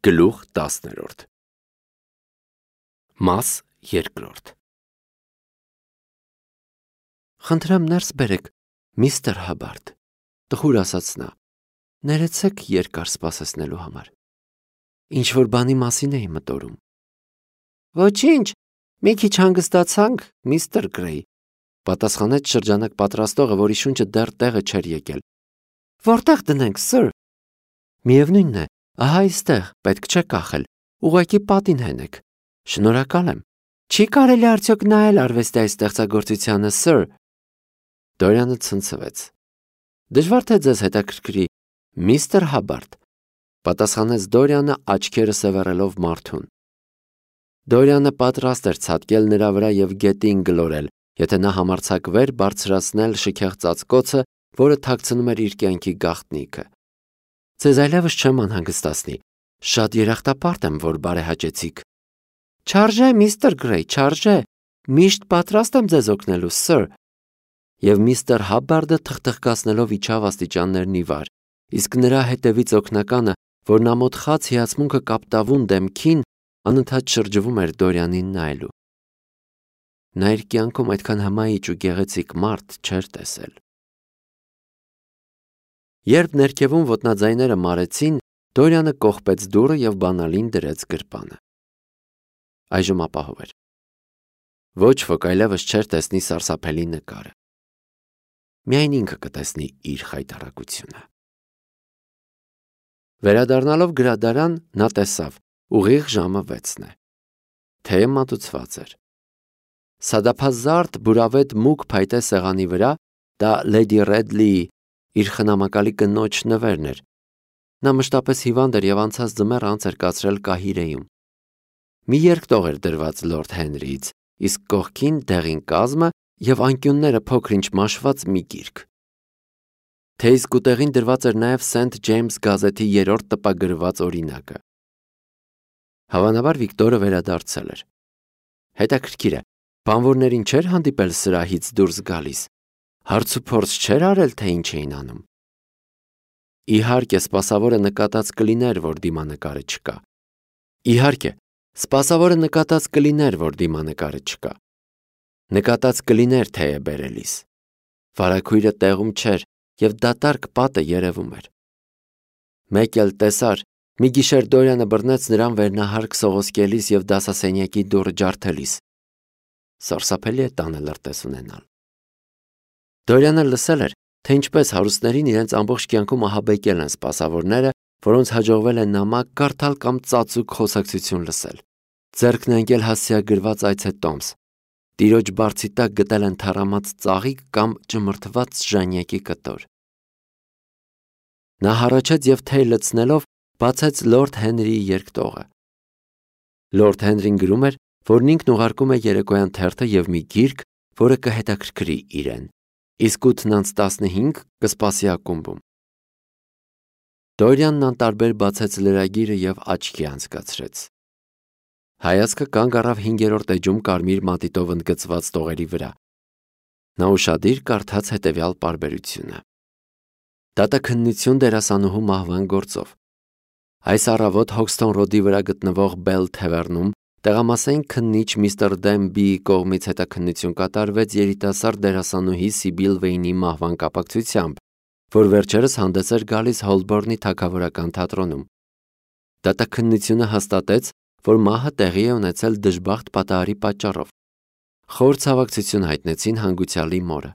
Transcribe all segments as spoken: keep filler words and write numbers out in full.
Գլուխ տասներորդ Մաս երկրորդ Խնդրեմ ներս բերեք, միստր Հաբարդ, տխուր ասաց նա, ներեցեք երկար սպասեցնելու համար։ Ինչ-որ բանի մասին էի մտորում։ Ոչինչ, մի քիչ հանգստացանք, միստր Գրեյ, պատասխանեց շրջանակ պատրաստողը, որի շունչը դեռ տեղը չէր եկել։ Որտեղ դնենք, սըր։ Միևնույնն է, ահա այստեղ, պետք չէ կախել, ուղղակի պատին հենեք։ Շնորհակալ եմ։ Չի կարելի արդյոք նայել արվեստի այս ստեղծագործությանը, սըր։ Դորյանը ցնցվեց։ Դժվար թե ձեզ հետաքրքրի, միստր Հաբարդ, պատասխանեց Դորյանը աչքերը սևեռելով մարդուն։ Դորյանը պատրաստ էր ցատկել նրա վրա և գետին գլորել, եթե նա համարձակվեր բարձրացնել շքեղ ծածկոցը, որը թաքցնում էր իր կյանքի գաղտնիքը։ Ձեզ այլևս չեմ անհանգստացնի, շատ երախտապարտ եմ, որ բարեհաճեցիք։ Չարժե, միստր Գրեյ, չարժե, միշտ պատրաստ եմ ձեզ օգնելու, սըր։ Եվ միստր Հաբարդը թխթխկացնելով իջավ աստիճաններն ի վար, իսկ նրա հետևից օգնականը, որն ամոթխած հիացմունքը կապտավուն դեմքին, անընդհատ շրջվում էր Դորյանին նայելու։ Նա իր կյանքում այդքան հմայիչ ու գեղեցիկ մարդ չէր տեսել։ Երբ ներքևում ոտնաձայները մարեցին, Դորյանը կողպեց դուռը և բանալին դրեց գրպանը։ Այժմ ապահով էր։ Ոչ ոք այլևս չէր տեսնի սարսափելի նկարը։ Միայն ինքը կտեսնի իր խայտառակությունը։ Վերադառնալով գրադարան, նա տեսավ, ուղիղ ժամը վեցն է։ Թեյը մատուցված էր։ Սադափազարդ բուրավետ մուգ փայտե սեղանի վրա, դա Լեյդի Ռեդլիի իր խնամակալի կնոջ նվերն էր։ Նա մշտապես հիվանդ էր և անցած ձմեռ անց էր կացրել Կահիրեում։ Մի երկտող էր դրված լորդ Հենրիից, իսկ կողքին դեղին կազմը և անկյունները փոքր-ինչ մաշված մի գիրք։ Թեյի սկուտեղին դրված էր նաև Սենթ Ջեյմս գազեթի երրորդ տպագրված օրինակը։ Հավանաբար Վիկտորը վերադարձել էր։ Հետաքրքիր է, բանվորներին չէր հանդիպել սրահից դուրս գալիս, հարցուփորձ չէր արել, թե ինչ էին անում։ Իհարկե, սպասավորը նկատած կլիներ, որ դիմանկարը չկա։ Իհարկե, սպասավորը նկատած կլիներ, որ դիմանկարը չկա։ Նկատած կլիներ թեյը բերելիս։ Վարագույրը տեղում չէր, և դատարկ պատը երևում էր։ Մեկ էլ տեսար, մի գիշեր Դորյանը բռնեց նրան վերնահարկ սողոսկելիս և դասասենյակի դուռը ջարդելիս։ Սարսափելի է տանը լրտես ունենալ։ Դորյանը լսել էր, թե ինչպես հարուստներին իրենց ամբողջ կյանքում ահաբեկել են սպասավորները, որոնց հաջողվել է նամակ կարդալ կամ ծածուկ խոսակցություն լսել։ Ձեռքն է ընկել հասցեագրված այցե տոմս։ Տիրոջ բարձի տակ գտել են թառամած ծաղիկ կամ ճմրթված ժանյակի կտոր։ Նա հառաչեց և թեյ լցնելով բացեց լորդ Հենրիի երկտողը։ Լորդ Հենրին գրում էր, որ ինքն ուղարկում է երեկոյան թերթը և մի գիրք, որը կհետաքրքրի իրեն, իսկ ութն անց տասնհինգ կսպասի ակումբում։ Դորյանն անտարբեր բացեց լրագիրը և աչքի անցկացրեց։ Հայացքը կանգ առավ հինգերորդ էջում կարմիր մատիտով ընդգծված տողերի վրա։ Նա ուշադիր կարդաց հետևյալ պարբերությունը. Դատաքննություն դերասանուհու մահվան գործով։ Այս առավոտ Հոքսթոն Ռոդի վրա գտնվող Բել Թևեռնում տեղամասային քննիչ միստր Դեմբիի կողմից հետաքննություն կատարվեց երիտասարդ դերասանուհի Սիբիլ Վեյնի մահվան կապակցությամբ, որ վերջերս հանդես էր գալիս Հոլբորնի թագավորական թատրոնում։ Դատաքննությունը հաստատեց, որ մահը տեղի է ունեցել դժբախտ պատահարի պատճառով։ Խոր ցավակցություն հայտնեցին հանգուցյալի մորը։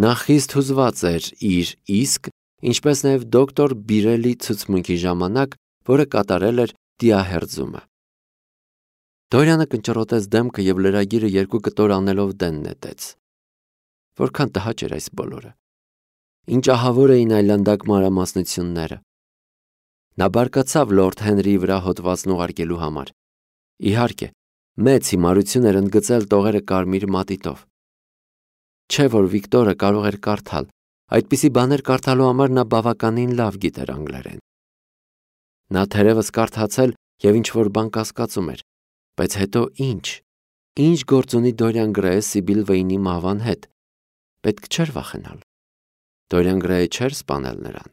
Նա խիստ հուզված էր իր իսկ, ինչպես նաև դոկտոր Բիրելի ցուցմունքի ժամանակ, որը կատարել էր դիահերձումը։ Դորյանը կնճռոտեց դեմքը և լրագիրը երկու կտոր անելով դեն նետեց։ Որքան տհաճ էր այս բոլորը։ Ինչ ահավոր էին այլանդակ մանրամասնությունները։ Նա բարկացավ լորդ Հենրիի վրա հոդվածն ուղարկելու համար։ Իհարկե, մեծ հիմարություն էր ընդգծել տողերը կարմիր մատիտով։ Չէ՞ որ Վիկտորը կարող էր կարդալ, այդպիսի բաներ կարդալու համար նա բավականին լավ գիտեր անգլերեն։ Նա թերևս կարդացել և ինչ-որ բան կասկածում էր, բայց հետո ինչ։ Ինչ գործ ունի Դորյան Գրեյը Սիբիլ Վեյնի մահվան հետ։ Պետք չէր վախենալ։ Դորյան Գրեյը չէր սպանել նրան։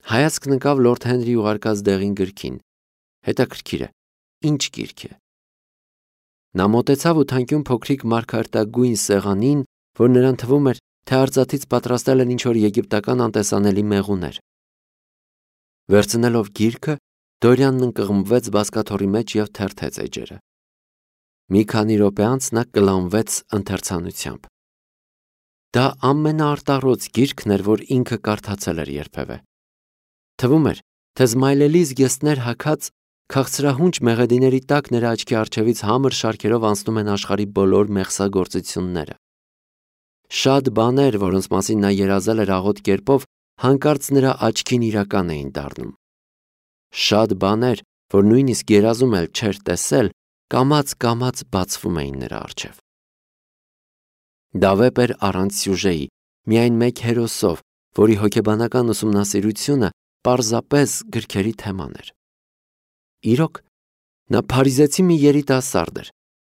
Հայացքն ընկավ լորդ Հենրի ուղարկած դեղին գրքին։ Հետաքրքիր է, ինչ գիրք է։ Նա մոտեցավ ու թանկյուն փոքրիկ մարգարտագույն սեղանին, որ նրան թվում էր, թե արծաթից պատրաստել են ինչ-որ եգիպտական անտեսանելի մեղուներ։ Վերցնելով գիրքը, Դորյանն ընկղմվեց բազկաթոռի մեջ և թերթեց էջերը։ Մի քանի րոպե անց նա կլանվեց ընթերցանությամբ։ Դա ամենաարտառոց գիրքն էր, որ ինքը կարդացել էր երբևէ։ Թվում էր, թե զմայլելի զգեստներ հագած քաղցրահունչ մեղեդիների տակ նրա աչքի առջևից համր շարքերով անցնում են աշխարհի բոլոր մեղսագործությունները։ Շատ բաներ, որոնց մասին նա երազել էր աղոտ կերպով, հանկարծ նրա աչքին իրական էին դառնում։ Շատ բաներ, որ նույնիսկ երազում էլ չէր տեսել, կամաց-կամաց բացվում էին նրա առջև։ Դա վեպ էր առանց սյուժեի, միայն մեկ հերոսով, որի հոգեբանական ուսումնասիրությունը պարզապես գրքերի թեման էր։ Իրոք, նա փարիզեցի մի երիտասարդ էր։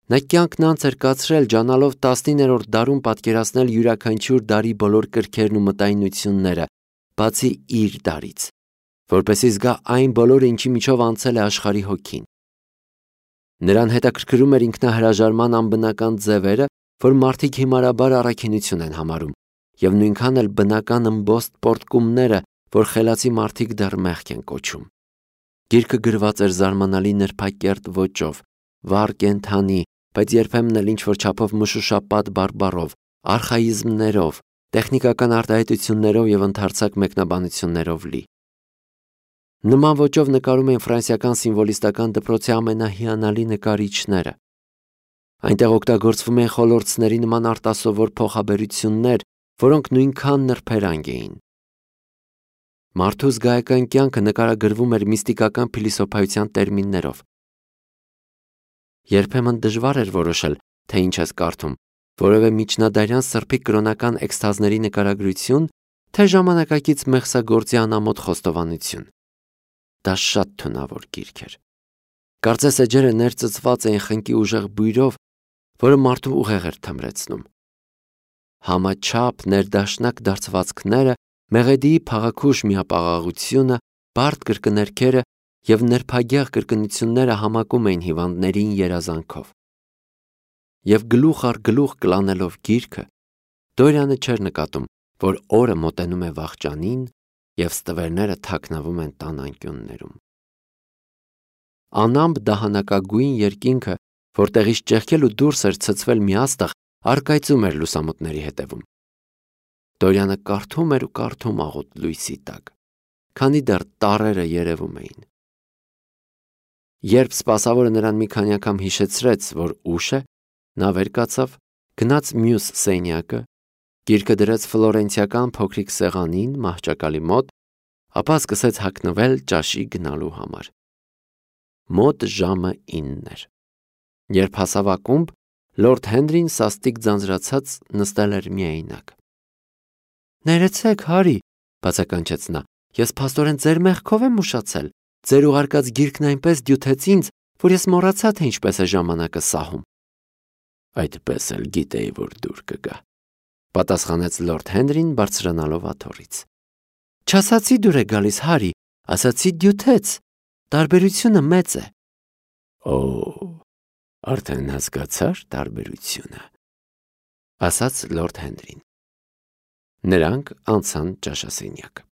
Նա կյանքն անց էր կացրել ջանալով տասնիններորդ դարում պատկերացնել յուրաքանչյուր դարի բոլոր կրքերն ու մտայնությունները, բացի իր դարից, որպեսզի զգա այն բոլորը, ինչի միջով անցել է աշխարհի հոգին։ Նրան հետաքրքրում էր ինքնահրաժարման անբնական ձևերը, որ մարդիկ հիմարաբար առաքինություն են համարում, և նույնքան էլ բնական ըմբոստ պոռթկումները, որ խելացի մարդիկ դեռ մեղք են կոչում։ Գիրքը գրված էր զարմանալի նրբակերտ ոճով, վառ կենդանի, բայց երբեմն էլ ինչ-որ չափով մշուշապատ բարբառով, արխաիզմներով, տեխնիկական արտահայտություններով և ընդարձակ մեկնաբանություններով լի։ Նման ոճով նկարում են ֆրանսիական սիմվոլիստական դպրոցի ամենահիանալի նկարիչները։ Այնտեղ օգտագործվում են խոլորձների նման արտասովոր փոխաբերություններ, որոնք նույնքան նրբերանգ էին։ Մարդու զգայական կյանքը նկարագրվում էր միստիկական փիլիսոփայության տերմիններով։ Երբեմն դժվար էր որոշել, թե ինչ ես կարդում, որևէ միջնադարյան սրբի կրոնական էքստազների նկարագրություն, թե ժամանակակից մեղսագործի անամոթ խոստովանություն։ Դա շատ թունավոր գիրք էր։ Կարծես էջերը ներծծված էին խնկի ուժեղ բույրով, որը մարդու ուղեղ էր թմրեցնում։ Համաչափ ներդաշնակ դարձվածքները, մեղեդիի փաղաքուշ միապաղաղությունը, բարդ կրկներքերը և նրբագեղ կրկնությունները համակում էին հիվանդներին երազանքով։ Եվ գլուխ առ գլուխ կլանելով գիրքը, Դորյանը չէր նկատում, որ օրը մոտենում է վախճանին և ստվերները թաքնվում են տան անկյուններում։ Անամպ դահանակագույն երկինքը, որտեղից ճեղքել ու դուրս էր ցցվել մի աստղ, առկայծում էր լուսամուտների հետևում։ Դորյանը կարդում էր ու կարդում աղոտ լույսի տակ, քանի դեռ տառերը երևում էին։ Երբ սպասավորը նրան մի քանի անգամ հիշեցրեց, որ ուշ է, նա վեր կացավ, գնաց մյուս սենյակը, գիրքը դրեց ֆլորենցիական փոքրիկ սեղանին մահճակալի մոտ, ապա սկսեց հագնվել ճաշի գնալու համար։ Մոտ ժամը ինն էր։ Երբ հասավ ակումբ, լորդ Հենրին սաստիկ ձանձրացած նստել էր միայնակ։ «Ներեցեք, Հարի», բացականչեց նա, «ես փաստորեն ձեր մեղքով եմ ուշացել։ Ձեր ուղարկած գիրքն այնպես դյութեց ինձ, որ ես մոռացա, թե ինչպես է ժամանակը սահում»։ «Այդպես էլ գիտեի, որ դուր կգա», պատասխանեց լորդ Հենրին բարձրանալով աթոռից։ «Չասացի դուր է գալիս, Հարի, ասացի դյութեց։ Տարբերությունը մեծ է»։ «Օ, արդեն հասկացար տարբերությունը», ասաց լորդ Հենրին։ Նրանք անցան ճաշասենյակ։